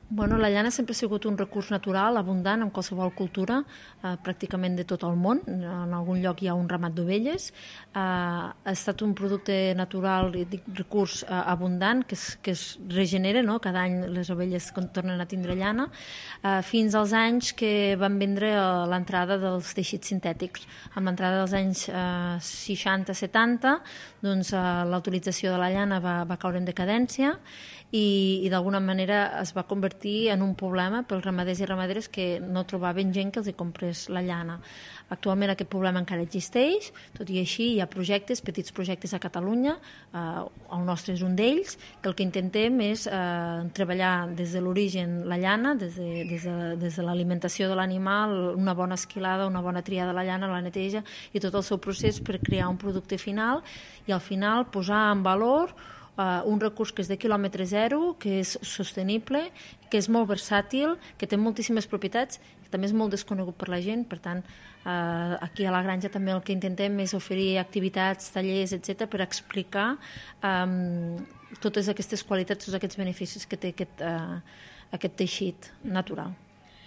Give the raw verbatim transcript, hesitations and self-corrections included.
Bueno, la llana sempre ha sigut un recurs natural, abundant en qualsevol cultura, eh, pràcticament de tot el món. En algun lloc hi ha un ramat d'ovelles. Eh, ha estat un producte natural, dic, recurs eh, abundant, que es, que es regenera, no? Cada any les ovelles tornen a tindre llana, eh, fins als anys que van vendre l'entrada dels teixits sintètics. Amb l'entrada dels anys eh, seixanta setanta, doncs, eh, la utilització de la llana va, va caure en decadència i, i d'alguna manera es va convertir en un problema pels ramaders i ramaderes que no trobaven gent que els hi comprés la llana. Actualment aquest problema encara existeix, tot i així hi ha projectes, petits projectes a Catalunya, eh, el nostre és un d'ells, que el que intentem és eh, treballar des de l'origen la llana, des de, des de, des de l'alimentació de l'animal, una bona esquilada, una bona triada de la llana, la neteja i tot el seu procés per crear un producte final i al final posar en valor Uh, un recurs que és de quilòmetre zero, que és sostenible, que és molt versàtil, que té moltíssimes propietats, que també és molt desconegut per la gent. Per tant, uh, aquí a la granja també el que intentem és oferir activitats, tallers, etcètera, per explicar um, totes aquestes qualitats, tots aquests beneficis que té aquest, uh, aquest teixit natural.